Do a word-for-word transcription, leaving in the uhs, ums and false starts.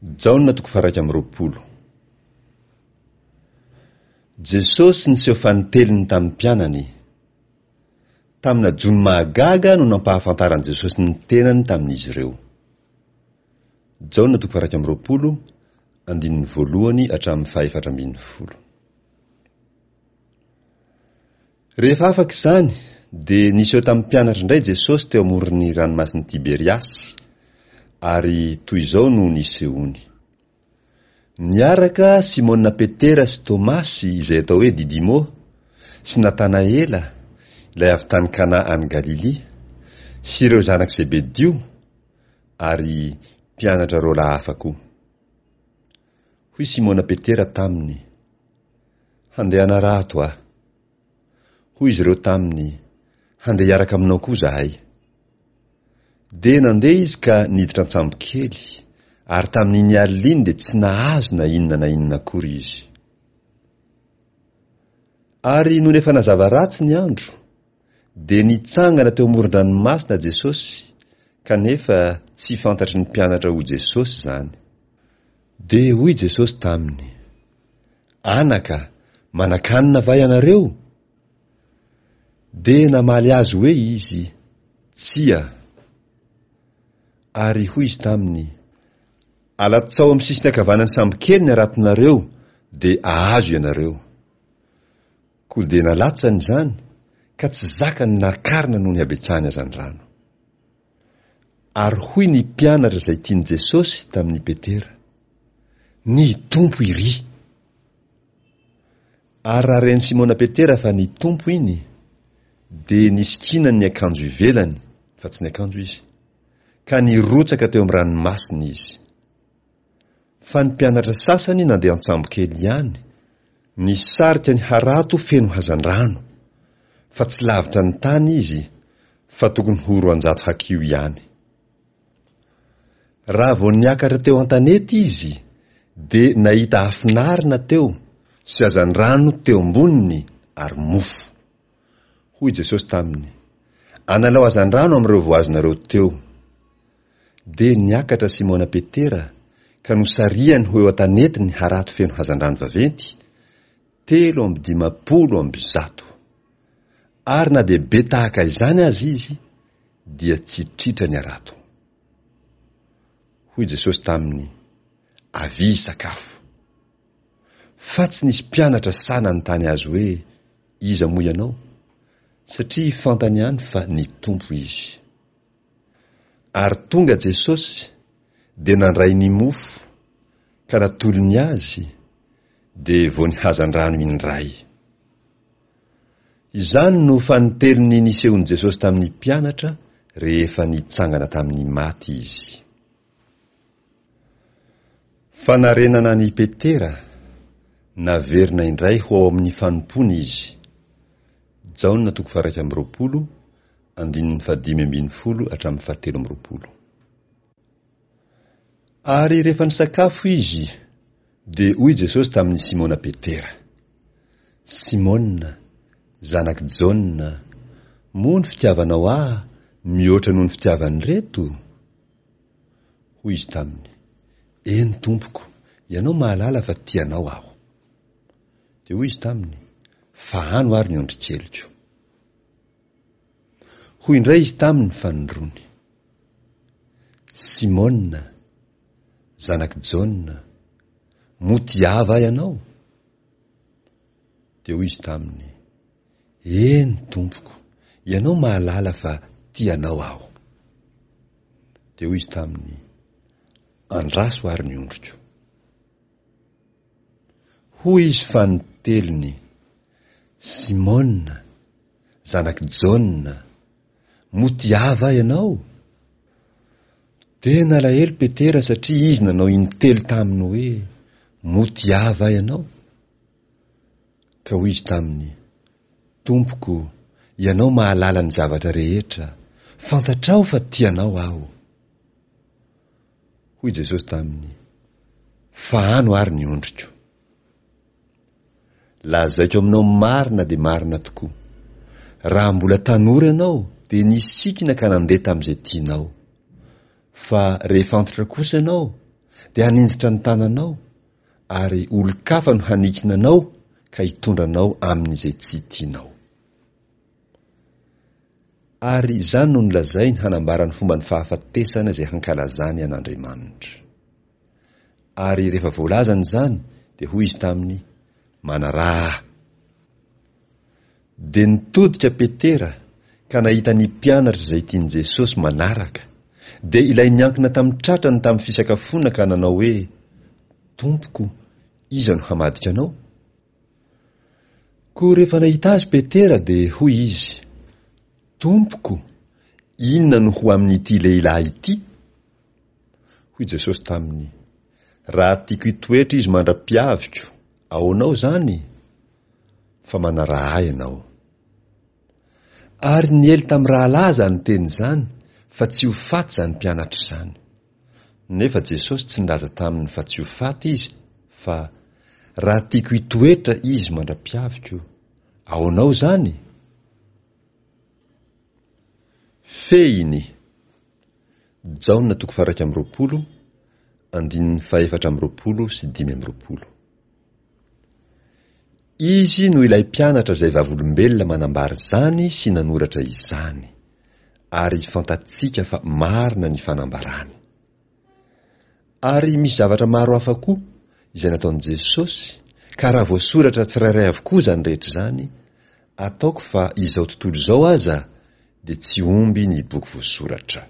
Jaona toko faha-iraika amby roapolo. Jesosy niseho fanintelony tamin'ny mpianany. Tamina jono mahagaga no nampahafantaran'i Jesosy ny tenany tamin'izy ireo. Jaona toko faha-iraika amby roapolo, andininy voalohany hatramin'ny fahefatra ambin'ny folo. Rehefa afaka izany, dia niseho tamin'ny mpianatra indray Jesosy teo amoron'ny ranomasin'i Tiberiasy, ary toy izao no nisehoany. Niaraka Simona Petera sy Tomasy, izay atao hoe Didimo, sy Natanaela, ilay avy tany Kana any Galilia, sy ireo zanak'i Zebedio, ary mpianatra roa lahy hafa koa. Hoy Simona Petera taminy, Handeha hanarato aho. Hoy izy ireo taminy, Handeha hiaraka aminao koa izahay. Dia nandeha izy ka niditra an-tsambokely, ary tamin'iny alina iny dia tsy nahazo na inona na inona akory izy. Ary nony efa nazava ratsy ny andro, dia nitsangana teo amoron-dranomasina Jesosy, kanefa tsy fantatry ny mpianatra ho Jesosy izany. Dia hoy Jesosy taminy, Anaka, manan-kanina va ianareo? Dia namaly azy hoe izy, Tsia. Ary hoy izy taminy, Alatsao amin'ny sisiny ankavanan'ny sambokely ny haratonareo, dia ahazo ianareo. Koa dia nalatsany izany, ka tsy zakany nakarina noho ny habetsahany hazandrano. Ary hoy ny mpianatra izay tian'i Jesosy tamin'i Petera, Ny Tompo iry! Ary raha ren'i Simona Petera fa ny Tompo iny, dia nisikinany ny akanjo ivelany, fa tsy niakanjo izy, ka nirotsaka teo amin'ny ranomasina izy. Fa ny mpianatra sasany nandeha an-tsambokely ihany, nisarika ny harato feno hazandrano, fa tsy lavitra ny tany izy, fa tokony ho roanjato hakiho ihany. Raha vao niakatra teo an-tanety izy, dia nahita afon'arina teo sy hazandrano teo amboniny ary mofo. Hoy Jesosy taminy, Analao hazandrano amin'ireo voazonareo teo. Dia niakatra Simona Petera ka nosarihany ho eo an-tanety ny harato feno hazandrano vaventy, telo amby dimampolo amby zato. Ary na dia be tahaka izany aza izy, dia tsy tritra ny harato. Hoy Jesosy taminy, Avia hisakafo. Fa tsy nisy mpianatra sahy nanontany azy hoe, Iza moa ianao? Satria fantany ihany fa ny Tompo izy. Ary tonga Jesosy, dia nandray ny mofo, ka natolony azy, dia vao nihazan-drano indray. Izany no fanintelony nisehon'i Jesosy tamin'ny mpianatra rehefa nitsangana tamin'ny maty izy. Fanarenana an'i Petera, naverina indray ho ao amin'ny fanompoana izy. Jaona toko faha-iraika amby roapolo, andininy fahadimy ambin'ny folo hatramin'ny fahatelo amby roapolo. Ary rehefa nisakafo izy, dia hoy Jesosy tamin'i Simona Petera, Simona, zanak'i Jaona, moa ny fitiavanao ahy mihoatra noho ny fitiavan'ireto? Hoy izy taminy, Eny, Tompoko, ianao mahalala fa tia anao aho. Dia hoy izy taminy, Fahano ary ny ondrikeliko. Hoy indray izy taminy fanindroany, Simona, zanak'i Jaona, moa tia ahy va ianao? Dia hoy izy taminy, Eny, Tompoko, ianao mahalala fa tia anao aho. Dia hoy izy taminy, Andraso ary ny ondriko. Hoy izy fanintelony, Simona, zanak'i Jaona, moa tia ahy va ianao? Dia nalahelo Petera satria izy nanao intelo taminy hoe, Moa tia ahy va ianao? Ka hoy izy taminy, Tompoko, ianao mahalala ny zavatra rehetra, fantatrao fa tia anao aho. Hoy Jesosy taminy, Fahano ary ny ondriko. Lazaiko aminao marina dia marina tokoa, raha mbola tanora ianao dia nisikina ka nandeha tamin'izay tianao. Fa rehefa antitra kosa ianao, dia haninjitra ny tananao, ary olon-kafa no hanikina anao ka hitondra anao amin'izay tsy tianao. Ary izany no nolazainy hanambara ny fomban'ny fahafatesana izay hankalazany an'Andriamanitra. Ary rehefa voalazany izany, dia hoy izy taminy, Manaraha ahy. Dia nitodika Petera ka nahita ny mpianatra izay tian'i Jesosy manaraka, dia ilay niankina tamin'ny tratrany tamin'ny fisakafoana ka nanao hoe, Tompoko, iza no hamadika anao? Koa rehefa nahita azy Petera dia hoy izy, Tompoko, inona no ho amin'ity lehilahy ity? Hoy Jesosy taminy, Raha tiako hitoetra izy mandra-piaviko, ahoanao izany? Fa manaraha ahy ianao. Ary niely tamin'ny rahalahy izany teny izany fa tsy ho faty izany mpianatra izany. Nefa Jesosy tsy nilaza taminy fa tsy ho faty izy fa, Raha tiako hitoetra izy mandra-piaviko, ahoanao izany? Fehiny. Jaona toko faha-iraika amby roapolo, andininy fahefatra amby roapolo sy dimy amby roapolo. Izy no ilay mpianatra izay vavolombelona manambara izany sy nanoratra izany, ary fantatsika fa marina ny fanambarany. Ary misy zavatra maro hafa koa izay nataon'i Jesosy, ka raha voasoratra tsirairay avokoa izany rehetra izany, ataoko fa izao tontolo izao aza dia tsy omby ny boky voasoratra.